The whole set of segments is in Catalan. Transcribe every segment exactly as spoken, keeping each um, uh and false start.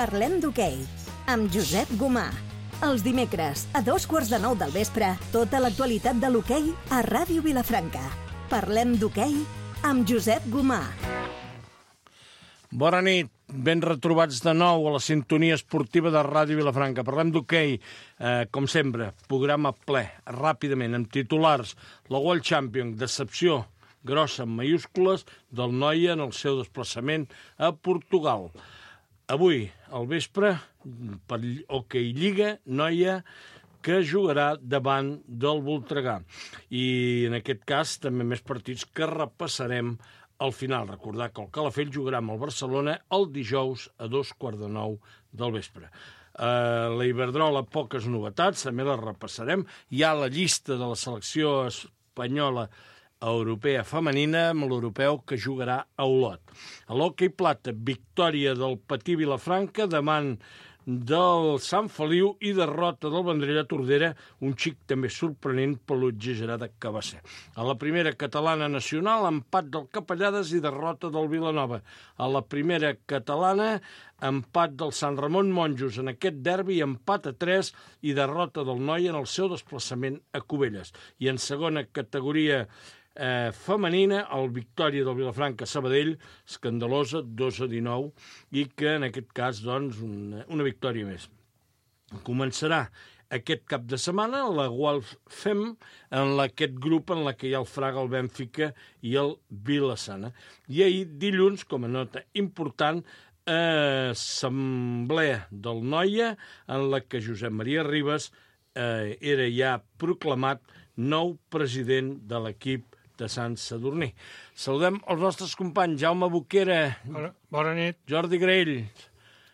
Parlem d'hoquei, amb Josep Gomà. Els dimecres, a dos quarts de nou del vespre, tota l'actualitat de l'hoquei a Ràdio Vilafranca. Parlem d'hoquei amb Josep Gomà. Bona nit, ben retrobats de nou a la sintonia esportiva de Ràdio Vilafranca. Parlem d'hoquei, eh, com sempre, programa ple, ràpidament, amb titulars. La World Champion, decepció grossa en mayúscules del Noia en el seu desplaçament a Portugal. Avui, al vespre, per Hoquei Lliga, Noia, que jugarà davant del Voltregà. I en aquest cas també més partits que repassarem al final. Recordar que el Calafell jugarà amb el Barcelona el dijous a dos quarts de nou del vespre. Uh, la Iberdrola, poques novetats, també les repassarem. Hi ha la llista de la selecció espanyola europea femenina amb l'europeu que jugarà a Olot. A l'hoquei plata, victòria del Patí Vilafranca davant del Sant Feliu i derrota del Vendrell a Tordera, un xic també sorprenent per l'exagerada que va ser. A la primera catalana nacional, empat del Capellades i derrota del Vilanova. A la primera catalana, empat del Sant Ramon Monjos en aquest derbi, empat a tres i derrota del Noia en el seu desplaçament a Cubelles. I en segona categoria Eh, femenina, el victòria del Vilafranca Sabadell, escandalosa, dos a dinou, i que en aquest cas, doncs, una, una victòria més. Començarà aquest cap de setmana la Wolf Fem, en aquest grup en la que hi ha el Fraga, el Bènfica i el Vilassana. I ahir, dilluns, com a nota important, eh, assemblea del Noia, en la que Josep Maria Ribas eh, era ja proclamat nou president de l'equip de Sant Sadurní. Saludem els nostres companys, Jaume Boquera. Bona, bona nit. Jordi Graell.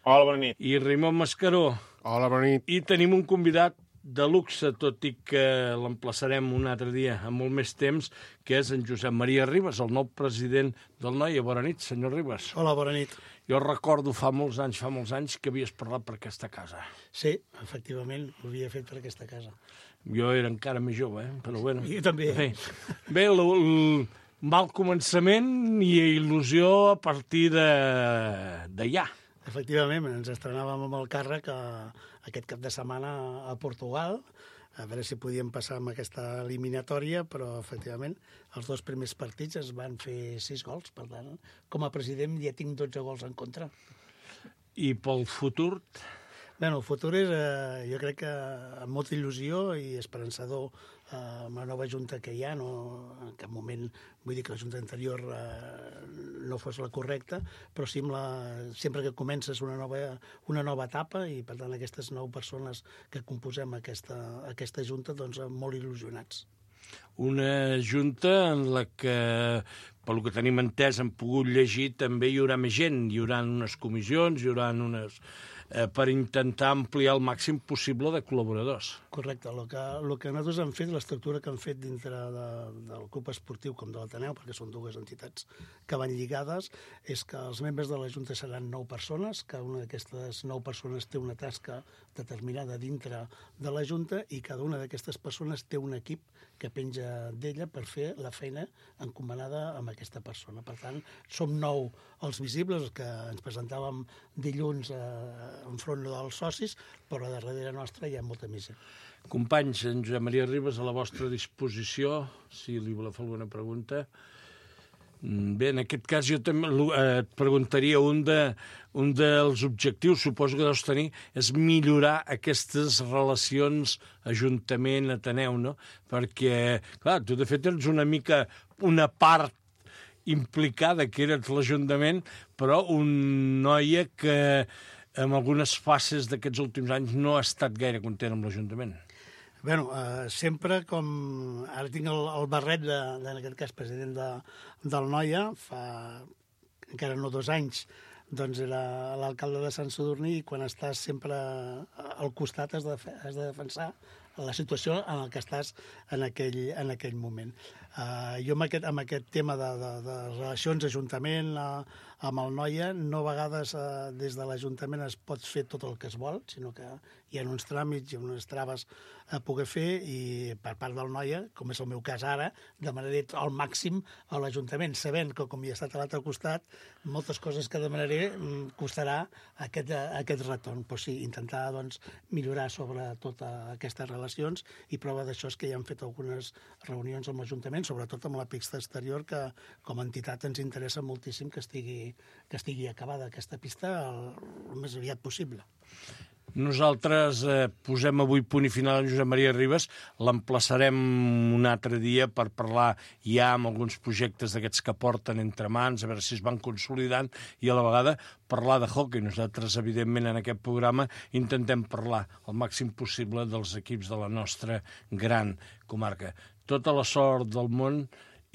Hola, bona nit. I Raimon Mascaró. Hola, bona nit. I tenim un convidat de luxe, tot i que l'emplaçarem un altre dia, amb molt més temps, que és en Josep Maria Ribas, el nou president del Noia. Bona nit, senyor Ribas. Hola, bona nit. Jo recordo fa molts anys, fa molts anys, que havies parlat per aquesta casa. Sí, efectivament, ho havia fet per aquesta casa. Jo era encara més jove, eh? Però bueno. Jo també. Bé, Bé el, el mal començament i il·lusió a partir de, de ja. Efectivament, ens estrenàvem amb el càrrec a, aquest cap de setmana a Portugal, a veure si podíem passar amb aquesta eliminatòria, però efectivament els dos primers partits es van fer sis gols, per tant, com a president ja tinc dotze gols en contra. I pel futur? Bé, el futur és, eh, jo crec que amb molta il·lusió i esperançador eh, amb la nova junta que hi ha, no, en cap moment vull dir que la junta anterior eh, no fos la correcta, però sí amb la, sempre que comences una nova, una nova etapa i per tant aquestes nou persones que composem aquesta, aquesta junta, doncs molt il·lusionats. Una junta en la que, pel que tenim entès, hem pogut llegir, també hi haurà més gent, hi haurà unes comissions, hi haurà unes... Eh, per intentar ampliar el màxim possible de col·laboradors. Correcte. El que, el que nosaltres hem fet, l'estructura que hem fet dintre de, del club esportiu com de l'Ateneu, perquè són dues entitats que van lligades, és que els membres de la Junta seran nou persones, cada una d'aquestes nou persones té una tasca determinada dintre de la Junta i cada una d'aquestes persones té un equip que penja d'ella per fer la feina encomanada amb aquesta persona. Per tant, som nou els visibles, els que ens presentàvem dilluns eh, enfront dels socis, però a darrere nostra hi ha molta més gent. Companys, en Josep Maria Ribas, a la vostra disposició, si li voleu fer alguna pregunta. Bé, en aquest cas jo també et preguntaria un, de, un dels objectius, suposo que deus tenir, és millorar aquestes relacions Ajuntament-Ateneu, no? Perquè, clar, tu de fet ets una mica una part implicada que eres l'Ajuntament, però un noia que en algunes fases d'aquests últims anys no ha estat gaire content amb l'Ajuntament. Bé, eh, sempre com... Ara tinc el, el barret, de, de, en aquest cas, president de, del Noia, fa encara no dos anys, doncs era l'alcalde de Sant Sadurní i quan estàs sempre al costat has de, has de defensar la situació en la que estàs en aquell, en aquell moment. Uh, jo amb aquest, amb aquest tema de, de, de relacions ajuntament uh, amb el Noia, no a vegades uh, des de l'Ajuntament es pot fer tot el que es vol, sinó que hi ha uns tràmits i unes traves a poder fer, i per part del Noia, com és el meu cas ara, demanaré al màxim a l'Ajuntament, sabent que com hi ha estat a l'altre costat, moltes coses que demanaré costarà aquest, aquest retorn. Però sí, intentar doncs, millorar sobre totes aquestes relacions, i prova d'això és que ja hem fet algunes reunions amb l'Ajuntament, sobretot amb la pista exterior, que com a entitat ens interessa moltíssim que estigui, que estigui acabada aquesta pista el, el més aviat possible. Nosaltres eh, posem avui punt i final a Josep Maria Ribas, l'emplaçarem un altre dia per parlar ja amb alguns projectes d'aquests que porten entre mans, a veure si es van consolidant, i a la vegada parlar de hockey. Nosaltres, evidentment, en aquest programa intentem parlar el màxim possible dels equips de la nostra gran comarca. Tota la sort del món.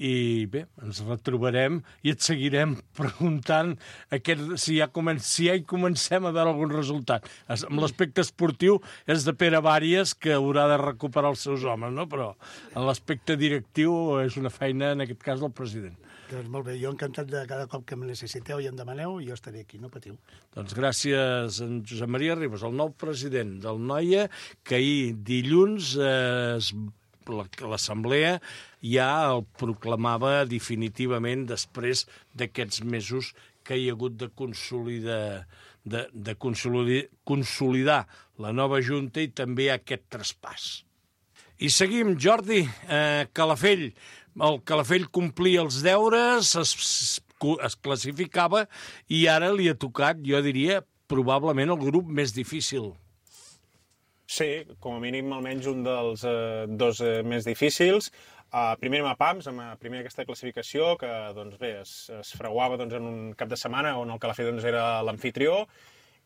I bé, ens retrobarem i et seguirem preguntant aquest, si, ja comen si ja hi comencem a veure algun resultat. Es, amb l'aspecte esportiu és de Pere Bàries, que haurà de recuperar els seus homes, no? Però en l'aspecte directiu és una feina, en aquest cas, del president. Doncs molt bé, jo encantat de cada cop que em necessiteu i em demaneu, jo estaré aquí, no patiu. Doncs gràcies a en Josep Maria Ribas, el nou president del Noia, que ahir dilluns eh, es l'assemblea ja el proclamava definitivament després d'aquests mesos que hi ha hagut de consolidar, de, de consolidar, consolidar la nova Junta i també aquest traspàs. I seguim, Jordi, eh, Calafell. El Calafell complia els deures, es, es classificava i ara li ha tocat, jo diria, probablement el grup més difícil. Sí, com a mínim almenys un dels eh, dos eh, més difícils. Uh, primer amb Pams, amb la primera aquesta classificació, que doncs, bé, es, es fraguava doncs, en un cap de setmana on el Calafell doncs, era l'anfitrió,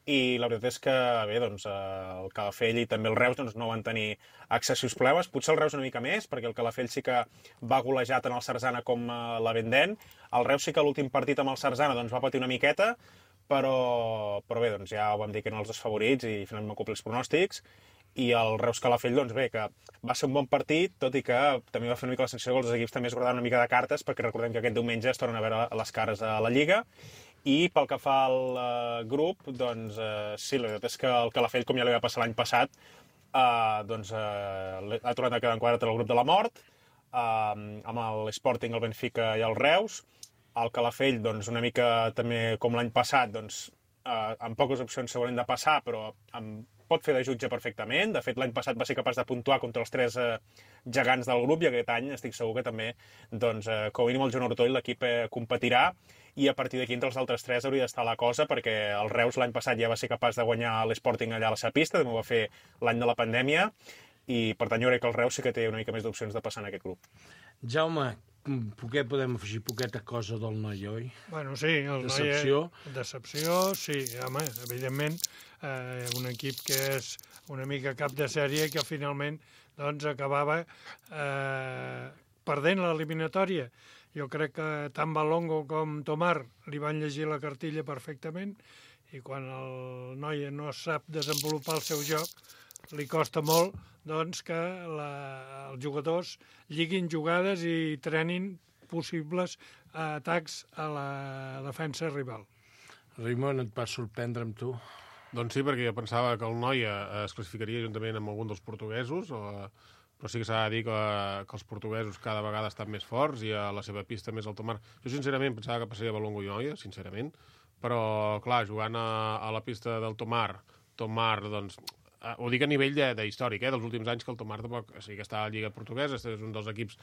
i la veritat és que bé, doncs, el Calafell i també el Reus doncs, no van tenir excessius problemes. Potser el Reus una mica més, perquè el Calafell sí que va golejar tant el Sarzana com uh, la Vendent. El Reus sí que l'últim partit amb el Sarzana doncs, va patir una miqueta, però, però bé, doncs, ja ho vam dir que eren els dos favorits i finalment van complir els pronòstics. I el Reus Calafell, doncs bé, que va ser un bon partit, tot i que també va fer una mica la sensació que els equips també es guardaven una mica de cartes, perquè recordem que aquest diumenge es tornen a veure les cares a la Lliga. I pel que fa al uh, grup, doncs uh, sí, la veritat és que el Calafell, com ja li va passar l'any passat, uh, doncs uh, ha tornat a quedar enquadrat en el grup de la mort, uh, amb l'Sporting, el Benfica i el Reus. El Calafell, doncs, una mica també com l'any passat, doncs, uh, amb poques opcions segurament de passar, però amb pot fer de jutge perfectament. De fet, l'any passat va ser capaç de puntuar contra els tres eh, gegants del grup, i aquest any estic segur que també, doncs, eh, com a mínim el Joan Ortoll, l'equip eh, competirà, i a partir d'aquí entre els altres tres hauria d'estar la cosa, perquè el Reus l'any passat ja va ser capaç de guanyar l'Sporting allà a la seva pista, també ho va fer l'any de la pandèmia, i per tant jo crec que el Reus sí que té una mica més d'opcions de passar en aquest grup. Jaume, poquet podem afegir poqueta cosa del Noia, oi? Bueno, sí, el Decepció. Noia... Decepció, sí, home, evidentment, eh, un equip que és una mica cap de sèrie que finalment doncs, acabava eh, perdent l'eliminatòria. Jo crec que tant Balongo com Tomar li van llegir la cartilla perfectament, i quan el Noia no sap desenvolupar el seu joc, li costa molt doncs, que la, els jugadors lliguin jugades i trenin possibles atacs a la defensa rival. Raimon, et va sorprendre amb tu? Doncs sí, perquè jo pensava que el Noia es classificaria juntament amb algun dels portuguesos, o, però sí que s'ha de dir que, que els portuguesos cada vegada estan més forts i a la seva pista més alta mar. Jo sincerament pensava que passaria Balongo i Noia, sincerament, però clar, jugant a, a la pista del Tomar, Tomar, doncs, Uh, ho dic a nivell d'històric, eh, dels últims anys, que el Tomar tampoc, o sigui que està a la Lliga Portuguesa, és un dels equips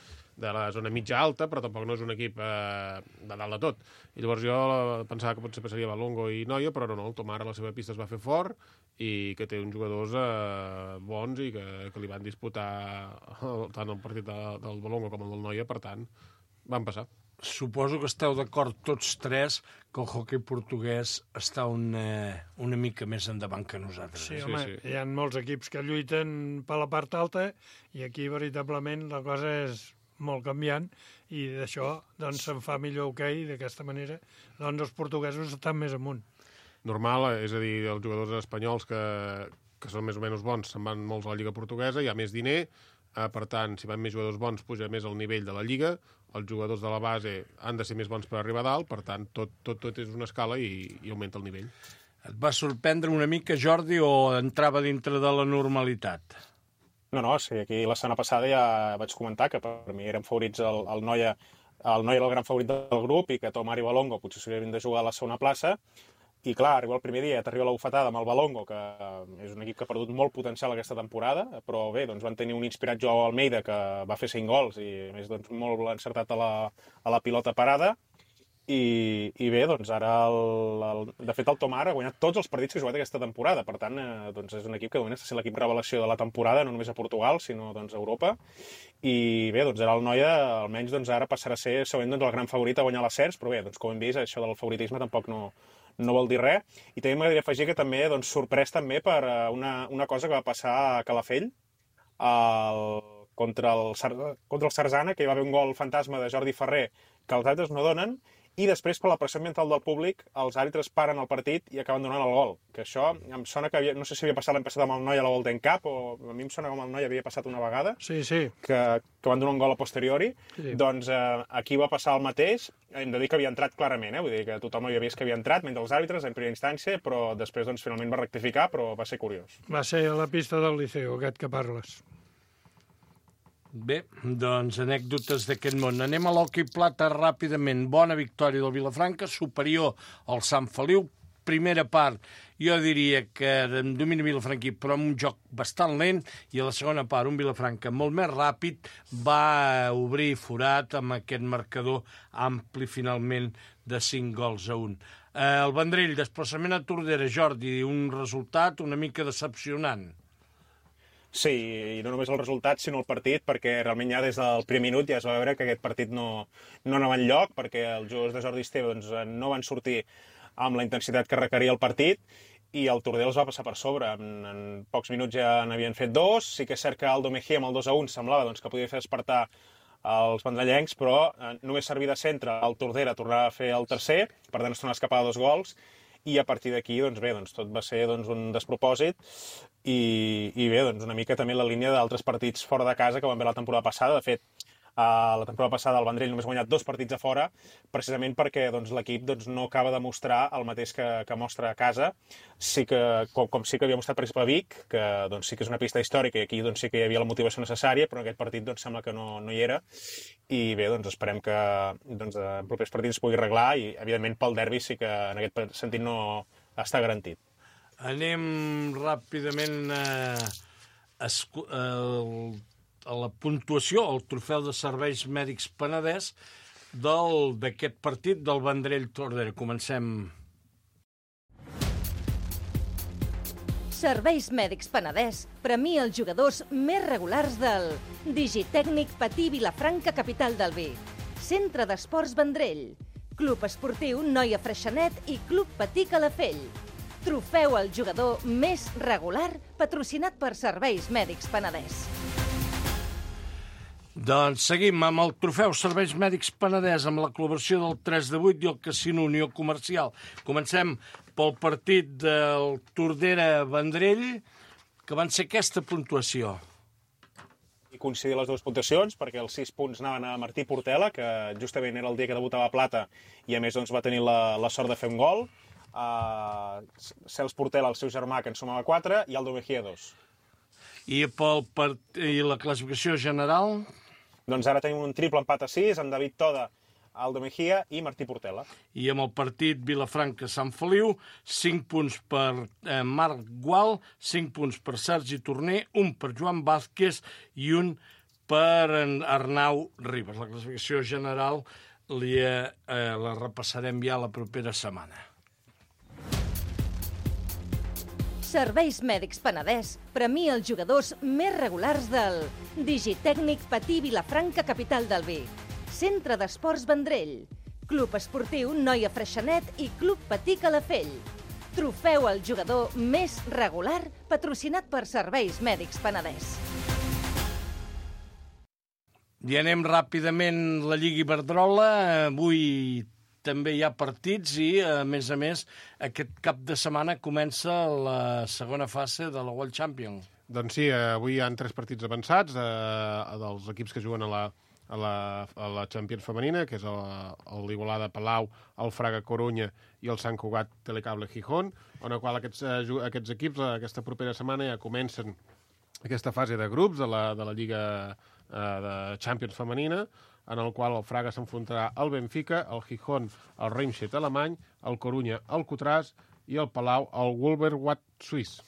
de la zona mitja-alta, però tampoc no és un equip eh, de dalt de tot. I llavors jo pensava que potser passaria Balongo i Noia, però no, no, el Tomar a la seva pista es va fer fort i que té uns jugadors eh, bons i que, que li van disputar el, tant el partit de, del Balongo com el del Noia, per tant, van passar. Suposo que esteu d'acord tots tres que el hoquei portuguès està una, una mica més endavant que nosaltres. Sí, eh? home, sí, sí. Hi ha molts equips que lluiten per la part alta i aquí veritablement la cosa és molt canviant i d'això doncs se'n fa millor hoquei, d'aquesta manera doncs els portuguesos estan més amunt. Normal, és a dir, els jugadors espanyols que, que són més o menys bons, se'n van molts a la Lliga Portuguesa, hi ha més diner, eh, per tant, si van més jugadors bons, puja més el nivell de la Lliga, els jugadors de la base han de ser més bons per arribar a dalt, per tant, tot, tot, tot és una escala i, i augmenta el nivell. Et va sorprendre una mica, Jordi, o entrava dintre de la normalitat? No, no, sí, aquí la setmana passada ja vaig comentar que per mi eren favorits el, el Noia, el Noia era el gran favorit del grup i que Tomar i Balongo potser s'haurien de jugar a la segona plaça. I clar, arriba el primer dia, t'arriba la bufetada amb el Balongo, que és un equip que ha perdut molt potencial aquesta temporada, però bé, doncs van tenir un inspirat Joao Almeida que va fer cinc gols i a més doncs, molt encertat a la, a la pilota parada. I, i bé, doncs ara, el, el, de fet, el Tomar ha guanyat tots els partits que ha jugat aquesta temporada. Per tant, eh, doncs és un equip que de moment està sent l'equip revelació de la temporada, no només a Portugal, sinó doncs, a Europa. I bé, doncs ara el Noia, almenys doncs, ara passarà a ser segurament doncs, el gran favorit a guanyar l'ascens, però bé, doncs, com hem vist, això del favoritisme tampoc no, no vol dir res. I també m'agradaria afegir que també doncs, sorprès també per una, una cosa que va passar a Calafell, el, contra, el, contra el Sarzana, que hi va haver un gol fantasma de Jordi Ferrer que els àrbitres no donen, i després, per la pressió ambiental del públic, els àrbitres paren el partit i acaben donant el gol. Que això em sona que havia, no sé si havia passat l'any passat amb el Noia a la Golden Cup, o a mi em sona com el Noia havia passat una vegada, sí, sí. Que, que van donar un gol a posteriori. Sí. Doncs eh, aquí va passar el mateix. Hem de dir que havia entrat clarament, eh? Vull dir que tothom havia vist que havia entrat, mentre els àrbitres, en primera instància, però després doncs, finalment va rectificar, però va ser curiós. Va ser a la pista del Liceu, aquest que parles. Bé, doncs anècdotes d'aquest món. Anem a l'hoquei plata ràpidament. Bona victòria del Vilafranca, superior al Sant Feliu. Primera part, jo diria que en domini vilafranquí, però amb un joc bastant lent, i a la segona part, un Vilafranca molt més ràpid, va obrir forat amb aquest marcador ampli, finalment, de cinc gols a un. Eh, el Vendrell, desplaçament a Tordera, Jordi, un resultat una mica decepcionant. Sí, i no només el resultat, sinó el partit, perquè realment ja des del primer minut ja es va veure que aquest partit no, no anava enlloc, perquè els jugadors de Jordi Esteve doncs, no van sortir amb la intensitat que requeria el partit, i el Tordera els va passar per sobre. En, en pocs minuts ja n'havien fet dos. Sí que és cert que Aldo Mejía amb el dos a un semblava doncs, que podia fer despertar els vendrellencs, però eh, només servir de centre el Tordera tornava a fer el tercer, per tant es tornava a escapar de dos gols, i a partir d'aquí, doncs bé, doncs tot va ser doncs, un despropòsit i, i bé, doncs una mica també la línia d'altres partits fora de casa que van veure la temporada passada. De fet, a la temporada passada el Vendrell només ha guanyat dos partits a fora, precisament perquè doncs, l'equip doncs, no acaba de mostrar el mateix que, que mostra a casa. Sí que, com, com sí que havia mostrat, per exemple, a Vic, que doncs, sí que és una pista històrica i aquí doncs, sí que hi havia la motivació necessària, però en aquest partit doncs, sembla que no, no hi era. I bé, doncs esperem que doncs, en propers partits es pugui arreglar i, evidentment, pel derbi sí que en aquest sentit no està garantit. Anem ràpidament a, a, a, a la puntuació, el trofeu de serveis mèdics Penedès d'aquest partit del Vendrell Tordera. Comencem. Serveis Mèdics Penedès premia els jugadors més regulars del Digitècnic Patí Vilafranca, capital del vi, Centre d'Esports Vendrell, Club Esportiu Noia Freixenet i Club Patí Calafell. Trofeu al jugador més regular patrocinat per Serveis Mèdics Penedès. Doncs seguim amb el trofeu Serveis Mèdics Penedès amb la col·laboració del tres de vuit i el Casino Unió Comercial. Comencem pel partit del Tordera-Vendrell, que van ser aquesta puntuació. I coincidir les dues puntuacions, perquè els sis punts anaven a Martí Portela, que justament era el dia que debutava a Plata, i a més doncs, va tenir la, la sort de fer un gol. Uh, Cels Portela, el seu germà, que en sumava quatre, i Aldo Mejía, dos. I, pel part... I la classificació general? Doncs ara tenim un triple empat a sis, amb David Toda, Aldo Mejía i Martí Portela. I amb el partit Vilafranca-Sant Feliu, cinc punts per eh, Marc Gual, cinc punts per Sergi Torner, un per Joan Vázquez i un per Arnau Ribas. La classificació general li, eh, la repassarem ja la propera setmana. Serveis Mèdics Penedès premia els jugadors més regulars del Digitècnic Patí Vilafranca, capital del vi, Centre d'Esports Vendrell, Club Esportiu Noia Freixenet i Club Patí Calafell. Trofeu al jugador més regular patrocinat per Serveis Mèdics Penedès. I anem ràpidament a la Lliga Iberdrola. Avui també hi ha partits i, a més a més, aquest cap de setmana comença la segona fase de la World Champion. Doncs sí, avui hi ha tres partits avançats eh, dels equips que juguen a la, a la, a la Champions femenina, que és l'Igualada Palau, el Fraga Corunya i el Sant Cugat Telecable Gijón, on el qual aquests, aquests equips aquesta propera setmana ja comencen aquesta fase de grups de la, de la Lliga eh, de Champions femenina, en el qual el Fraga s'enfrontarà al Benfica, el Gijón al Reimstedt alemany, el Corunya al Cotràs i el Palau al Wolverwacht suís.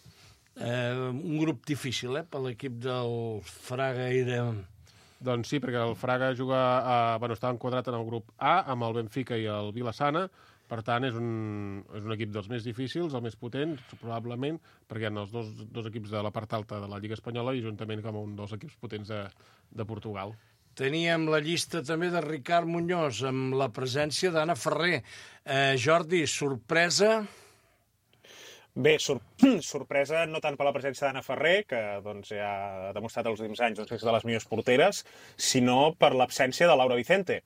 Eh, un grup difícil, eh, per l'equip del Fraga i de... Doncs sí, perquè el Fraga juga a, bueno, està enquadrat en el grup A amb el Benfica i el Vilassana. Per tant, és un, és un equip dels més difícils, el més potent, probablement, perquè hi ha els dos, dos equips de la part alta de la Lliga Espanyola i juntament com un dels equips potents de, de Portugal. Teníem la llista també de Ricard Muñoz, amb la presència d'Anna Ferrer. Eh, Jordi, sorpresa... Bé, sor sorpresa no tant per la presència d'Anna Ferrer, que doncs, ja ha demostrat els últims anys doncs, que és de les millors porteres, sinó per l'absència de Laura Vicente,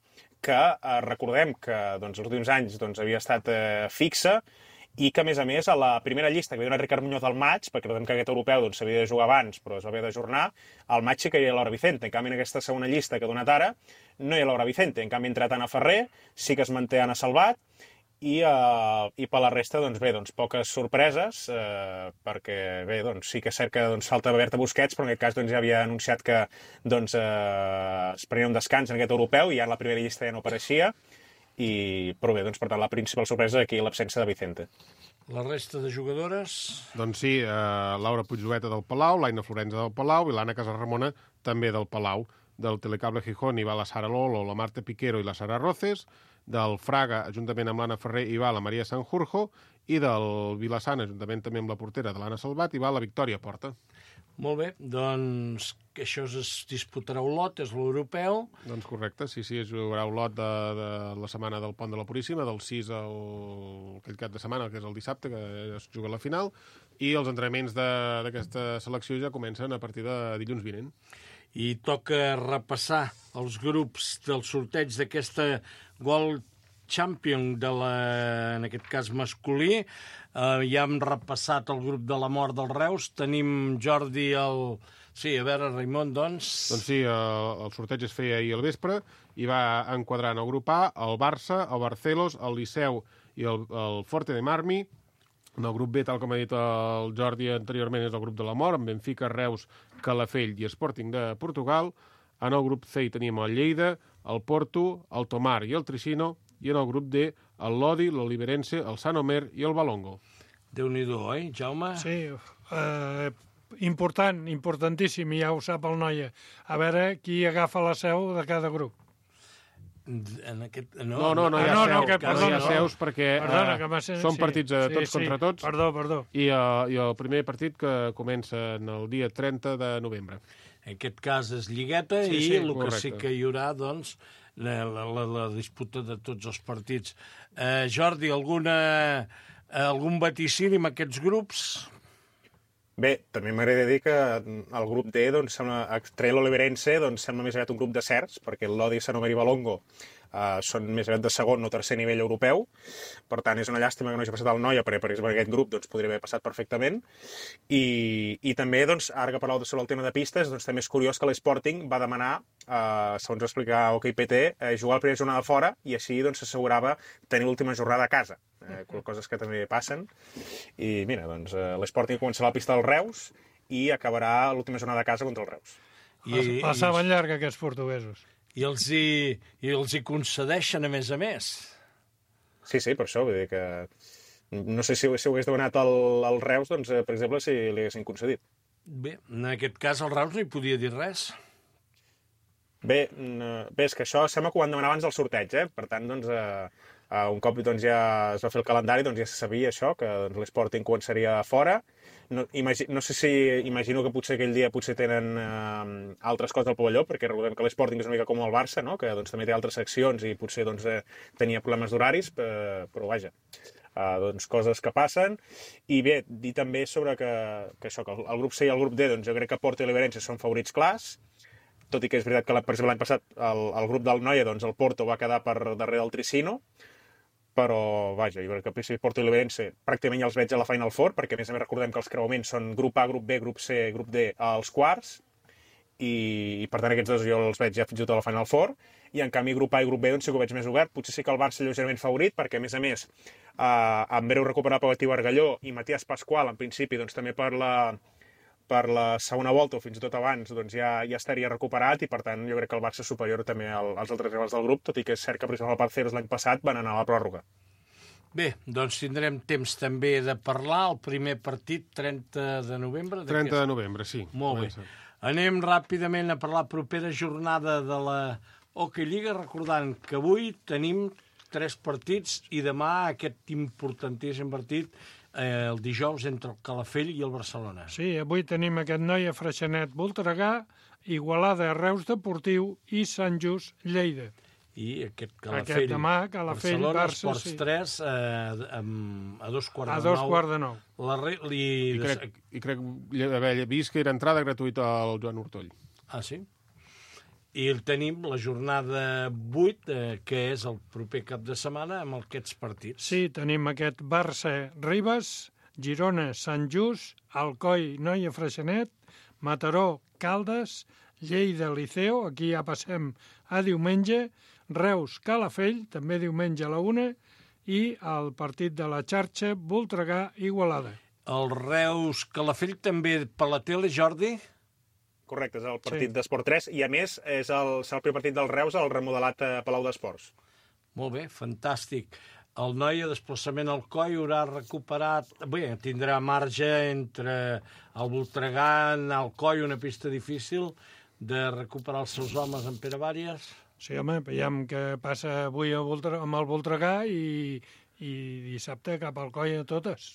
que eh, recordem que doncs, els últims anys doncs, havia estat eh, fixa i que, a més a més, a la primera llista que havia donat Ricard Muñoz al maig, perquè recordem que aquest europeu s'havia doncs, de jugar abans, però es va haver d'ajornar, al maig sí que hi ha Laura Vicente. En canvi, en aquesta segona llista que ha donat ara, no hi ha Laura Vicente. En canvi, ha entrat Anna Ferrer, sí que es manté Anna Salvat, i, uh, i per la resta, doncs bé, doncs poques sorpreses, uh, perquè bé, doncs sí que és cert que doncs, falta Berta Busquets, però en aquest cas doncs, ja havia anunciat que doncs, uh, es prenia un descans en aquest europeu i ja en la primera llista ja no apareixia, i, però bé, doncs per tant la principal sorpresa és aquí l'absència de Vicente. La resta de jugadores... Doncs sí, eh, Laura Puigjueta del Palau, l'Aina Florenza del Palau i l'Anna Casarramona també del Palau. Del Telecable Gijón hi va la Sara Lolo, la Marta Piquero i la Sara Roces. Del Fraga, juntament amb l'Anna Ferrer, hi va la Maria Sanjurjo, i del Vilassana, juntament també amb la portera de l'Anna Salvat, hi va la Victòria Porta. Molt bé, doncs que això es disputarà Olot, és l'europeu. Doncs correcte, sí, sí, es jugarà Olot de, de la setmana del Pont de la Puríssima, del sis al aquell cap de setmana, que és el dissabte, que es juga la final, i els entrenaments d'aquesta selecció ja comencen a partir de dilluns vinent. I toca repassar els grups del sorteig d'aquesta World Champion, de la, en aquest cas masculí. Uh, ja hem repassat el grup de la mort dels Reus. Tenim Jordi el... Sí, a veure, Raimon, doncs... Doncs sí, el, el sorteig es feia ahir al vespre i va enquadrar en el grup A el Barça, el Barcelos, el Liceu i el, el Forte de Marmi. En el grup B, tal com ha dit el Jordi anteriorment, és el grup de la mort, amb Benfica, Reus, Calafell i Sporting de Portugal. En el grup C hi tenim el Lleida, el Porto, el Tomar i el Tricino, i en el grup D el Lodi, l'Oliverense, el Sant Omer i el Balongo. Déu-n'hi-do, eh, Jaume? Sí, eh, important, importantíssim, ja ho sap el Noia. A veure qui agafa la seu de cada grup. En aquest... No, no, no hi ha, ah, no, seus, no, que, no hi ha seus perquè perdona, eh, que ser, són sí, partits eh, tots sí, contra sí. tots. Perdó, perdó. I, uh, I el primer partit que comença en el dia trenta de novembre. En aquest cas és lligueta Sí, i sí, el que correcte. sí que hi haurà, doncs, la, la, la, la disputa de tots els partits. Eh, Jordi, alguna, algun vaticini amb aquests grups? Bé, també m'agradaria dir que el grup D, doncs, sembla, extret l'Oliverense, doncs, sembla més aviat un grup de certs, perquè el Lodi, Sant Omer i Balongo uh, són més aviat de segon o tercer nivell europeu. Per tant, és una llàstima que no hagi passat el Noia, perquè per exemple aquest grup doncs, podria haver passat perfectament. I, i també, doncs, ara que parleu sobre el tema de pistes, doncs, també és curiós que l'Sporting va demanar, uh, segons va explicar OK P T, uh, jugar la primera jornada fora i així doncs, s'assegurava tenir l'última jornada a casa. Eh, coses que també passen. I mira, doncs, eh, l'Sporting començarà la pista del Reus i acabarà l'última jornada de casa contra el Reus. I, La saben llarga, aquests portuguesos. I els, hi, I els hi concedeixen, a més a més. Sí, sí, per això, vull dir que... No sé si, si ho hagués donat al, al Reus, doncs, eh, per exemple, si li haguessin concedit. Bé, en aquest cas el Reus no hi podia dir res. Bé, bé, és que això sembla que ho van demanar abans del sorteig, eh? Per tant, doncs, eh, un cop doncs, ja es va fer el calendari, doncs ja se sabia això, que doncs, l'Sporting començaria fora. No, imagi, no sé si imagino que potser aquell dia potser tenen eh, altres coses al pavelló, perquè recordem que l'Sporting és una mica com el Barça, no? Que doncs, també té altres seccions i potser doncs, eh, tenia problemes d'horaris, eh, però vaja, eh, doncs, coses que passen. I bé, dir també sobre que, que això, que el, el grup C i el grup D, doncs, jo crec que Porto i Oliverense són favorits clars, tot i que és veritat que per exemple l'any passat el, el grup del Noia, doncs el Porto va quedar per darrere del Tricino, però, vaja, jo crec que el P S V Porto i l'Obense pràcticament ja els veig a la Final Four, perquè a més a més recordem que els creuaments són grup A, grup B, grup C, grup D als quarts, i, i per tant aquests dos jo els veig ja fins i tot a la Final Four, i en canvi grup A i grup B doncs sí que ho veig més obert, potser sí que el Barça lleugerament favorit, perquè a més a més eh, en breu recuperar Pau Argalló i Matías Pascual, en principi doncs també per la, per la segona volta o fins i tot abans doncs ja, ja estaria recuperat, i per tant jo crec que el Barça és superior també al, als altres rivals del grup, tot i que és cert que per exemple el Parceros l'any passat van anar a la pròrroga. Bé, doncs tindrem temps també de parlar. El primer partit, trenta de novembre. trenta de novembre, sí. Molt bé. Anem ràpidament a parlar propera jornada de la Hockey Lliga, recordant que avui tenim tres partits i demà aquest importantíssim partit eh, el dijous entre el Calafell i el Barcelona. Sí, avui tenim aquest noi a Freixenet, Voltregà, Igualada, Reus Deportiu i Sant Just, Lleida. I aquest Calafell, aquest demà, Calafell, Barcelona, Barça, Esports sí. tres, eh, a dos quarts a de nou. dos quarts de nou. La re... li... I crec, i crec haver vist que era entrada gratuïta al Joan Hortoll. Ah, sí? I el tenim la jornada vuit, eh, que és el proper cap de setmana, amb aquests partits. Sí, tenim aquest Barça-Ribes, Girona, Sant Just, Alcoi, Noia, Freixenet, Mataró, Caldes, Lleida, Liceo, aquí ja passem a diumenge, Reus, Calafell, també diumenge a la una, i el partit de la xarxa, Voltregà, Igualada. El Reus Calafell també per la tele, Jordi? Correcte, és el partit Sí. d'Esport tres, i a més és el, serà el primer partit del Reus al remodelat eh, Palau d'Esports. Molt bé, fantàstic. El noi a desplaçament al Coi haurà recuperat... Bé, tindrà marge entre el Voltregà, al Coi, una pista difícil, de recuperar els seus homes en Pere Vàries. Sí, home, veiem què passa avui a Voltre... amb el Voltregà i, i dissabte cap al Coi a totes.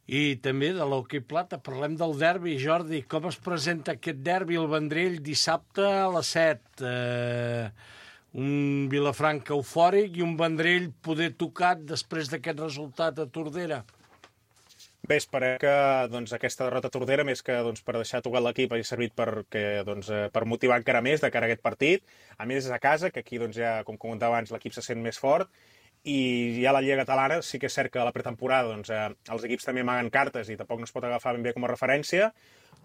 I també de l'Hockey Plata, parlem del derbi. Jordi, com es presenta aquest derbi al Vendrell dissabte a les set? Eh, un Vilafranca eufòric i un Vendrell poder tocat després d'aquest resultat a Tordera. Bé, esperem que doncs, aquesta derrota a Tordera, més que doncs, per deixar tocar l'equip, hagi servit per, que, doncs, per motivar encara més de cara a aquest partit. A més, és a casa, que aquí, doncs, ja, com comentava abans, l'equip se sent més fort. I ja la Lliga Catalana sí que és cert que a la pretemporada doncs, eh, els equips també amaguen cartes i tampoc no es pot agafar ben bé com a referència,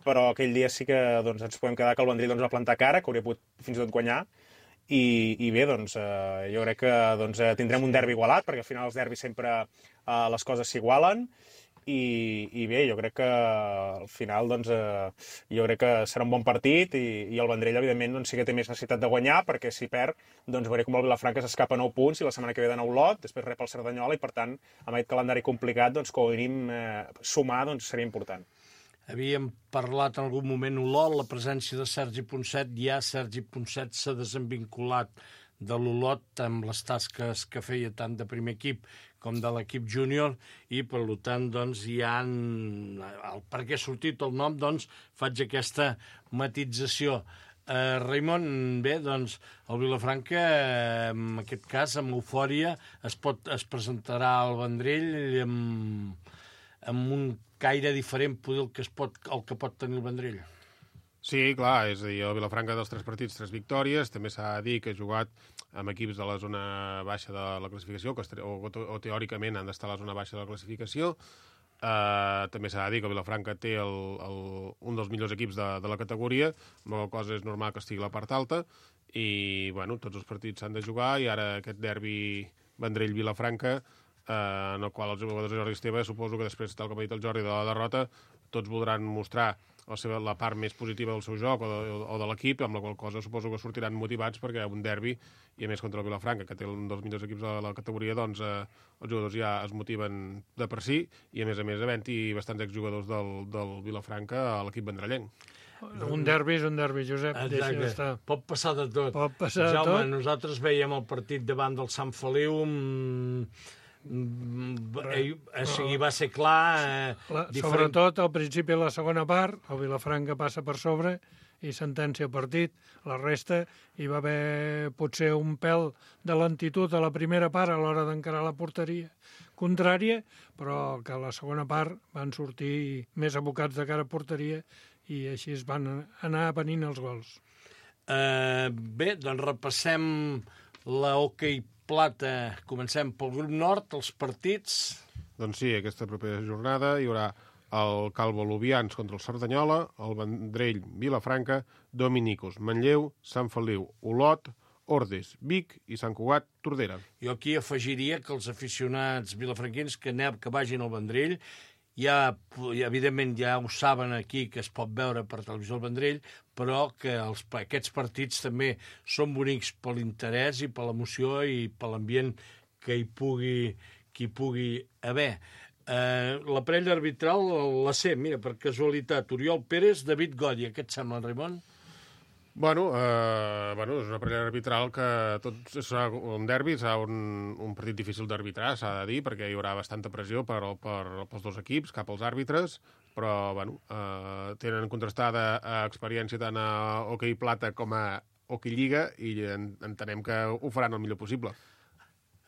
però aquell dia sí que doncs, ens podem quedar que el Vendrell doncs, va plantar cara, que hauria pogut fins i tot guanyar. I, i bé, doncs, eh, jo crec que doncs, tindrem un derbi igualat, perquè al final els derbis sempre eh, les coses s'igualen. I, i bé, jo crec que al final doncs, eh, jo crec que serà un bon partit i, i el Vendrell, evidentment, doncs, sí que té més necessitat de guanyar, perquè si perd, doncs veuré com el Vilafranca s'escapa a nou punts i la setmana que ve de nou lot, després rep el Cerdanyola i, per tant, amb aquest calendari complicat, doncs, com a mínim eh, sumar doncs, seria important. Havíem parlat en algun moment Olot, la presència de Sergi Ponset, ja Sergi Ponset s'ha desenvinculat de l'Olot amb les tasques que feia tant de primer equip com de l'equip júnior, i per tant doncs, hi ha... El, per què ha sortit el nom, doncs faig aquesta matització. Eh, Raimon, bé, doncs el Vilafranca, eh, en aquest cas, amb eufòria, es, pot, es presentarà al Vendrell amb, amb un caire diferent poder el que, es pot, el que pot tenir el Vendrell. Sí, clar, és a dir, el Vilafranca dels tres partits, tres victòries, també s'ha de dir que ha jugat amb equips de la zona baixa de la classificació, que o, o, o teòricament han d'estar a la zona baixa de la classificació. Uh, també s'ha de dir que el Vilafranca té el, el, un dels millors equips de, de la categoria, amb la cosa és normal que estigui a la part alta, i bueno, tots els partits s'han de jugar, i ara aquest derbi Vendrell-Vilafranca, uh, en el qual els jugadors de Jordi Esteve, suposo que després, tal com ha dit el Jordi, de la derrota, tots voldran mostrar la, seva, la part més positiva del seu joc o de, o de l'equip, amb la qual cosa suposo que sortiran motivats, perquè un derbi, i a més contra el Vilafranca, que té un dels millors equips de la categoria, doncs eh, els jugadors ja es motiven de per si, i a més a més havent-hi bastants exjugadors del, del Vilafranca a l'equip vendrellenc. Un derbi és un derbi, Josep, deixa d'estar. Pot passar de tot. Pot passar de Jaume, tot. nosaltres veiem el partit davant del Sant Feliu, mm, o sigui, va ser clar... Eh, La, diferent... Sobretot al principi de la segona part, el Vilafranca passa per sobre i sentencia el partit. La resta hi va haver potser un pèl de lentitud a la primera part a l'hora d'encarar la porteria contrària, però que a la segona part van sortir més abocats de cara a porteria i així es van anar venint els gols. Eh, bé, doncs repassem la Hockey plata. Comencem pel grup nord, els partits. Doncs sí, aquesta propera jornada hi haurà el Calvo Lubians contra el Cerdanyola, el Vendrell Vilafranca, Dominicos Manlleu, Sant Feliu Olot, Ordes, Vic i Sant Cugat, Tordera. Jo aquí afegiria que els aficionats vilafranquins que, aneu, que vagin al Vendrell, ja, evidentment ja ho saben aquí que es pot veure per televisió al Vendrell, però que els, aquests partits també són bonics per l'interès i per l'emoció i per l'ambient que hi pugui, que hi pugui haver. Eh, la parella arbitral, la C, mira, per casualitat, Oriol Pérez, David Gòdia. Què et sembla, Raimon? Bueno, eh, bueno, és una parella arbitral que tot serà un derbi, serà un, un partit difícil d'arbitrar, s'ha de dir, perquè hi haurà bastanta pressió per, per, pels dos equips, cap als àrbitres, però bueno, eh, tenen contrastada eh, experiència tant a hoquei plata com a hoquei lliga i en, entenem que ho faran el millor possible.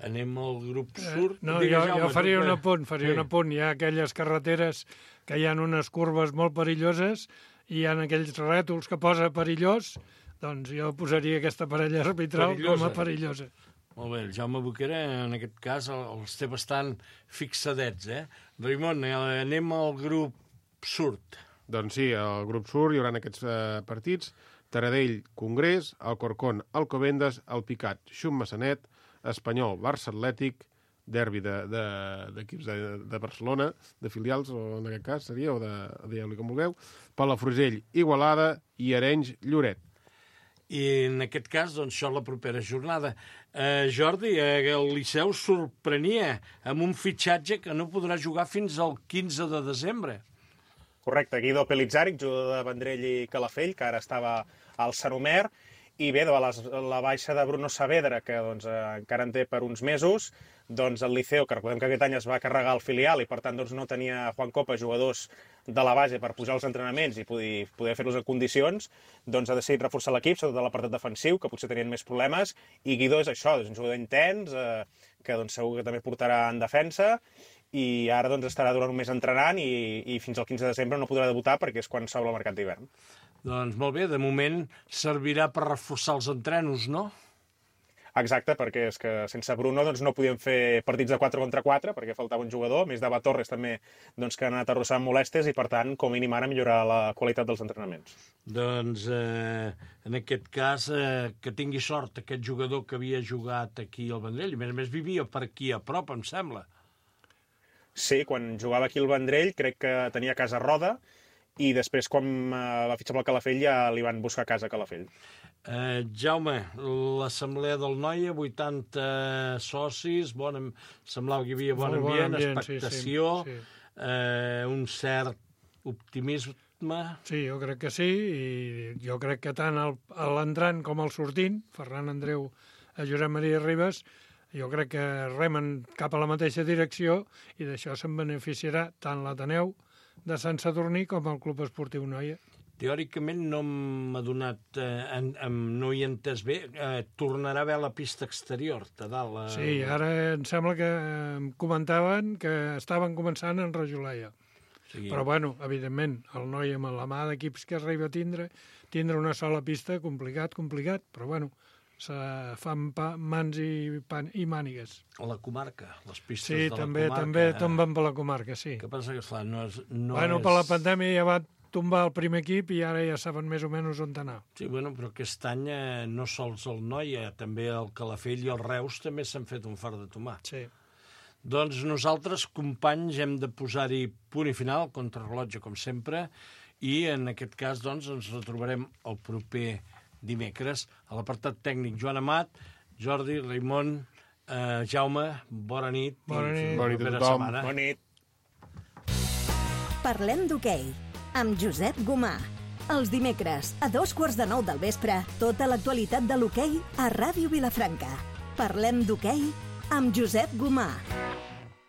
Anem al grup sud. Eh, no, jo, jo faria un apunt, faria sí. un apunt. Hi ha aquelles carreteres que hi ha unes curves molt perilloses i hi ha aquells rètols que posa perillós, doncs jo posaria aquesta parella arbitral perillosa. Com a perillosa. Molt bé, el Jaume Boquera, en aquest cas, els té bastant fixadets, eh? Raimon, anem al grup sud. Doncs sí, al grup sud hi haurà aquests eh, partits. Taradell, Congrés, Alcorcón, Alcobendas, Alpicat, Xum Massanet, Espanyol, Barça Atlètic, derbi d'equips de, de, de, de Barcelona, de filials, o en aquest cas seria, o de, digueu-li com vulgueu, Palafrugell, Igualada i Arenys, Lloret. I en aquest cas, doncs, això la propera jornada. Eh, Jordi, eh, el Liceu sorprenia amb un fitxatge que no podrà jugar fins al quinze de desembre. Correcte, Guido Pelizaric, jugador de Vendrell i Calafell, que ara estava al Saromer, i bé, de les, la baixa de Bruno Saavedra, que doncs, eh, encara en té per uns mesos, doncs el Liceo, que recordem que aquest any es va carregar el filial i per tant doncs, no tenia Juan Copa jugadors de la base per pujar als entrenaments i poder, poder fer-los en condicions, doncs ha decidit reforçar l'equip, sobretot de l'apartat defensiu, que potser tenien més problemes, i Guido és això, és un jugador intens, eh, que doncs, segur que també portarà en defensa, i ara doncs, estarà durant un mes entrenant i, i fins al quinze de desembre no podrà debutar perquè és quan s'obre el mercat d'hivern. Doncs molt bé, de moment servirà per reforçar els entrenos, no? Exacte, perquè és que sense Bruno doncs, no podíem fer partits de quatre contra quatre perquè faltava un jugador, més d'Ava Torres també doncs, que han anat arrossant molèsties i per tant com a mínim ara millorar la qualitat dels entrenaments. Doncs eh, en aquest cas eh, que tingui sort aquest jugador que havia jugat aquí al Vendrell i a més a més vivia per aquí a prop, em sembla. Sí, quan jugava aquí al Vendrell crec que tenia casa a Roda i després quan uh, va fitxar pel Calafell ja li van buscar casa a Calafell. Eh, Jaume, l'assemblea del Noia, vuitanta socis, bon, semblava que hi havia bon ambient, bon ambient expectació, sí, sí, sí. Eh, un cert optimisme. Sí, jo crec que sí, i jo crec que tant l'entrant com el sortint, Ferran Andreu a Josep Maria Ribas, jo crec que remen cap a la mateixa direcció i d'això se'n beneficiarà tant l'Ateneu de Sant Sadurní com el Club Esportiu Noia. Teòricament no m'ha donat, eh, en, en, no hi he entès bé, eh, tornarà a haver la pista exterior, a dalt. Eh... Sí, ara em sembla que em comentaven que estaven començant en Rajolaya. Sí. Però, bueno, evidentment, el Noia amb la mà d'equips que arriba a tindre, tindre una sola pista, complicat, complicat, però, bueno, se fan pa, mans i, pan, i mànigues. A la comarca, les pistes sí, de també, la comarca. Sí, també tomben per la comarca, sí. Què passa que, clar, no és... No bueno, és... per la pandèmia ja va tombar el primer equip i ara ja saben més o menys on anar. Sí, bueno, però aquest any eh, no sols el Noia, també el Calafell i el Reus també s'han fet un fart de tomar. Sí. Doncs nosaltres, companys, hem de posar-hi punt i final, contrarrellotge, com sempre, i en aquest cas, doncs, ens retrobarem el proper dimecres a l'apartat tècnic Joan Amat, Jordi, Raimon, eh, Jaume, bona nit. Bona nit. Bona nit a tothom. Bona nit. Parlem d'hoquei amb Josep Gomà. Els dimecres, a dos quarts de nou del vespre, tota l'actualitat de l'hoquei a Ràdio Vilafranca. Parlem d'hoquei amb Josep Gomà.